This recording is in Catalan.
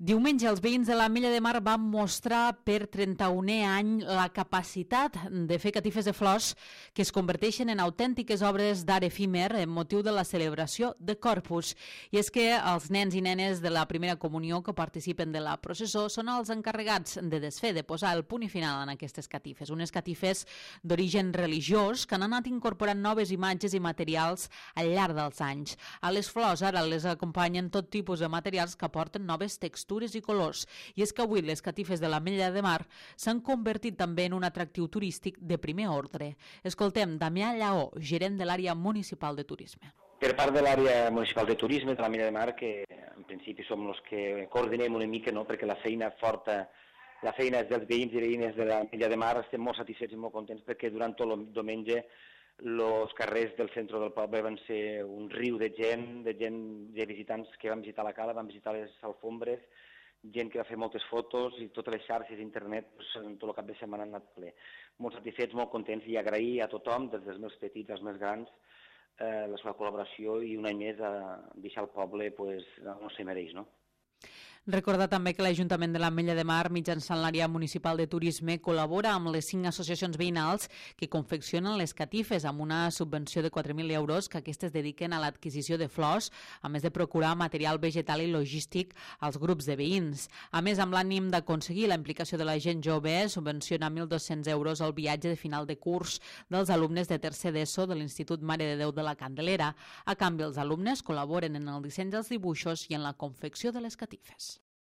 Diumenge, els veïns de l'Ametlla de Mar van mostrar per 31è any la capacitat de fer catifes de flors que es converteixen en autèntiques obres d'art efímer en motiu de la celebració de Corpus. I és que els nens i nenes de la primera comunió que participen de la processó són els encarregats de desfer, de posar el punt i final en aquestes catifes. Unes catifes d'origen religiós que han anat incorporant noves imatges i materials al llarg dels anys. A les flors ara les acompanyen tot tipus de materials que aporten noves textures i colors. I és que avui les catifes de l'Ametlla de Mar s'han convertit també en un atractiu turístic de primer ordre. Escoltem Damià Lleó, gerent de l'àrea municipal de turisme. Per part de l'àrea municipal de turisme de l'Ametlla de Mar, que en principi som els que coordinem una mica, no? Perquè la feina forta, la feina és dels veïns i veïnes de l'Ametlla de Mar, estem molt satisfets i molt contents perquè durant tot el diumenge els carrers del centre del poble van ser un riu de gent, de visitants que van visitar la cala, van visitar les alfombres, gent que va fer moltes fotos i totes les xarxes d'internet, tot el cap de setmana han anat ple. Molt satisfets, molt contents i agrair a tothom, des dels més petits als més grans, la seva col·laboració i un any més a deixar el poble on se mereix, no? Recordar també que l'Ajuntament de l'Ametlla de Mar, mitjançant l'àrea municipal de turisme, col·labora amb les 5 associacions veïnals que confeccionen les catifes amb una subvenció de 4.000 euros que aquestes dediquen a l'adquisició de flors, a més de procurar material vegetal i logístic als grups de veïns. A més, amb l'ànim d'aconseguir la implicació de la gent jove, subvenciona 1.200 euros el viatge de final de curs dels alumnes de tercer d'ESO de l'Institut Mare de Déu de la Candelera. A canvi, els alumnes col·laboren en el disseny dels dibuixos i en la confecció de les catifes.